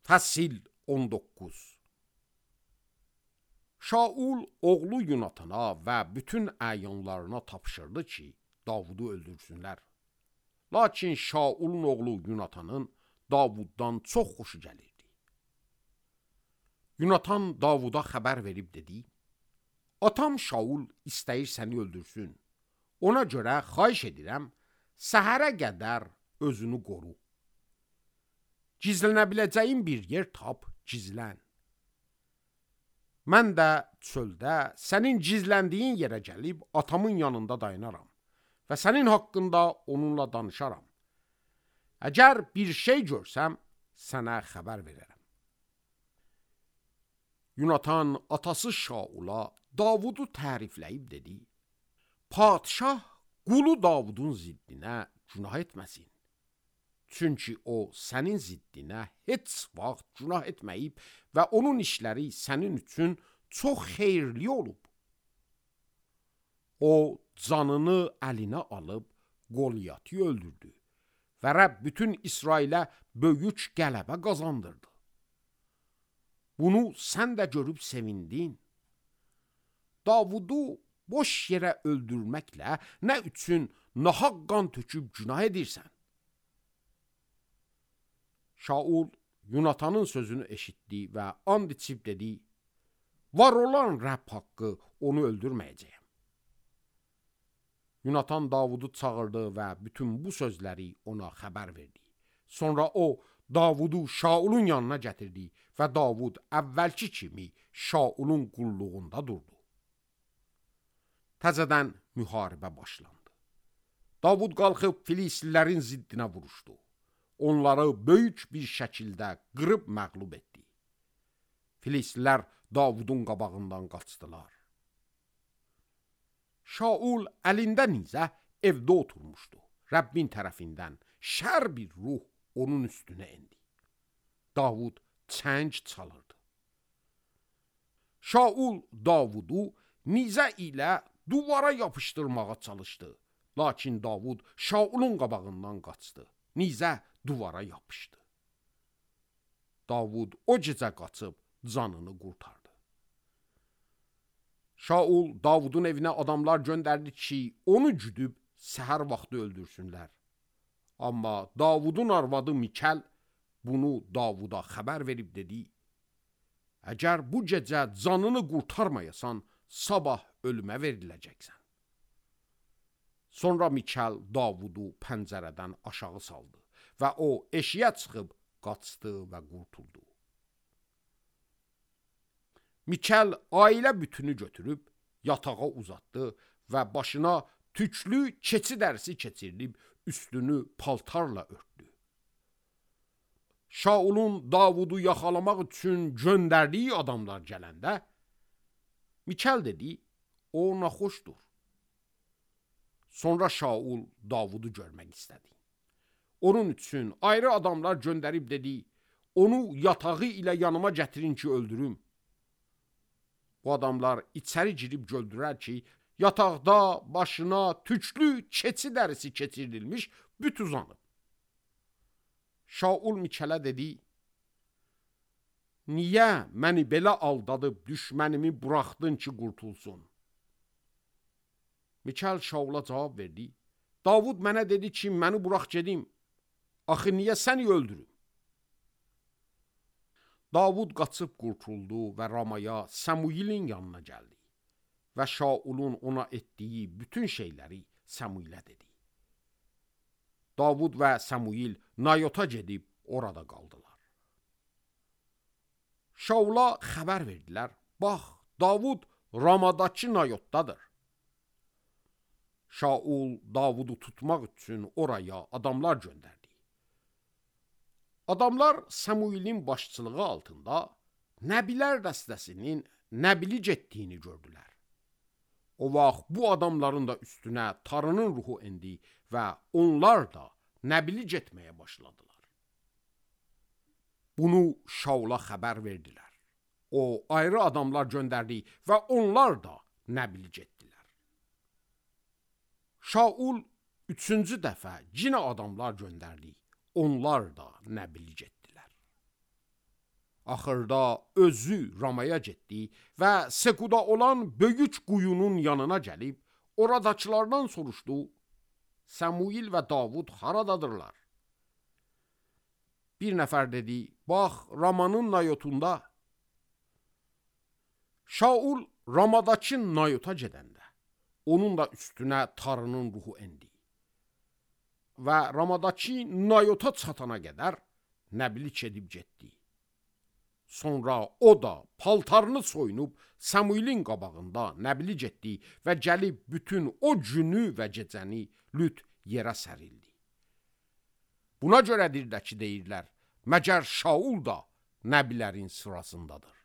Fəsil 19. Şaul oğlu Yunatana və bütün əyanlarına tapşırdı ki, Davudu öldürsünlər. Lakin Şaulun oğlu Yunatanın Davuddan çox xoşu gəlirdi. Yunatan Davuda xəbər verib dedi: Atam Şaul istəyir səni öldürsün. Ona görə xahiş edirəm, səhərə qədər özünü qoru. Gizlənə biləcəyin bir yer tap, gizlən. Mən də çöldə sənin gizləndiyin yerə gəlib atamın yanında dayanaram və sənin haqqında onunla danışaram. Əgər bir şey görsəm, sənə xəbər verərəm. Yunatan atası Şaula Davudu tərifləyib dedi: Padişah qulu Davudun ziddinə günah etməsin. Çünki o sənin ziddinə heç vaxt günah etməyib və onun işləri sənin üçün çox xeyirli olub. O canını əlinə alıb Qolyatı öldürdü və Rəbb bütün İsrailə böyük qələbə qazandırdı. Bunu sən də görüb sevindin. Davudu boş yerə öldürməklə nə üçün nahaq qan töküb günah edirsən? Şaul Yunatanın sözünü eşitdi və and içib dedi: Var olan Rəbb haqqı onu öldürməyəcəyəm. Yunatan Davudu çağırdı və bütün bu sözləri ona xəbər verdi. Sonra o Davudu Şaulun yanına gətirdi və Davud əvvəlki kimi Şaulun qulluğunda durdu. Təzədən müharibə başlandı. Davud qalxıb Filislilərin ziddinə vuruşdu. Onları böyük bir şəkildə qırıb məğlub etdi. Filistlilər Davudun qabağından qaçdılar. Şaul əlində nizə evdə oturmuşdu. Rəbbin tərəfindən şər bir ruh onun üstünə endi. Davud çəng çalırdı. Şaul Davudu nizə ilə duvara yapışdırmağa çalışdı. Lakin Davud Şaulun qabağından qaçdı. Nizə duvara yapışdı. Davud o gecə qaçıb canını qurtardı. Şaul Davudun evinə adamlar göndərdi ki, onu güdüb səhər vaxtı öldürsünlər. Amma Davudun arvadı Mikəl bunu Davuda xəbər verib dedi: Əgər bu gecə canını qurtarmayasan, sabah ölümə veriləcəksən. Sonra Mikəl Davudu pəncərədən aşağı saldı və o eşiyə çıxıb qaçdı və qurtuldu. Mikəl ailə bütünü götürüb yatağa uzatdı və başına tüklü keçi dərisi keçirilib üstünü paltarla örtdü. Şaulun Davudu yaxalamaq üçün göndərdiyi adamlar gələndə Mikəl dedi: O naxoşdur. Sonra Şaul Davudu görmək istədi. Onun üçün ayrı adamlar göndərib dedi: Onu yatağı ilə yanıma gətirin ki, öldürüm. Bu adamlar içəri girib gördülər ki, yataqda başına tüklü keçi dərisi keçirilmiş büt uzanıb. Şaul Mikələ dedi: Niyə məni belə aldadıb düşmənimi buraxdın ki, qurtulsun? Mikəl Şaula cavab verdi: Davud mənə dedi ki, məni burax gedim. Axı niyə səni öldürüm? Davud qaçıb qurtuldu və Ramaya Samuilin yanına gəldi və Şaulun ona etdiyi bütün şeyləri Samuilə dedi. Davud və Samuil Nayota gedib orada qaldılar. Şaula xəbər verdilər: Bax, Davud Ramadakı Nayotdadır. Şaul Davudu tutmaq üçün oraya adamlar göndərdi. Adamlar Samuilin başçılığı altında Nəbilər dəstəsinin Nəbili getdiyini gördülər. O vaxt bu adamların da üstünə Tanrının ruhu endi və onlar da Nəbili getməyə başladılar. Bunu Şaula xəbər verdilər. O ayrı adamlar göndərdi və onlar da Nəbili getdilər. Şaul üçüncü dəfə yenə adamlar göndərdi. Onlar da Nəbili getdilər. Axırda özü Ramaya getdi və Sekuda olan böyük quyunun yanına gəlib, oradakılardan soruşdu, Samuil və Davud haradadırlar? Bir nəfər dedi, bax, Ramanın Nayotunda. Şaul Ramadakı Nayota gedəndə, onun da üstünə Tanrının ruhu endi. Və Ramadakı Nayota çatana qədər nəbilik edib getdi. Sonra o da paltarını soyunub Samuilin qabağında nəbilik etdi və gəlib bütün o günü və gecəni lüt yerə sərildi. Buna görədir də ki, deyirlər, məgər Şaul da nəbilərin sırasındadır.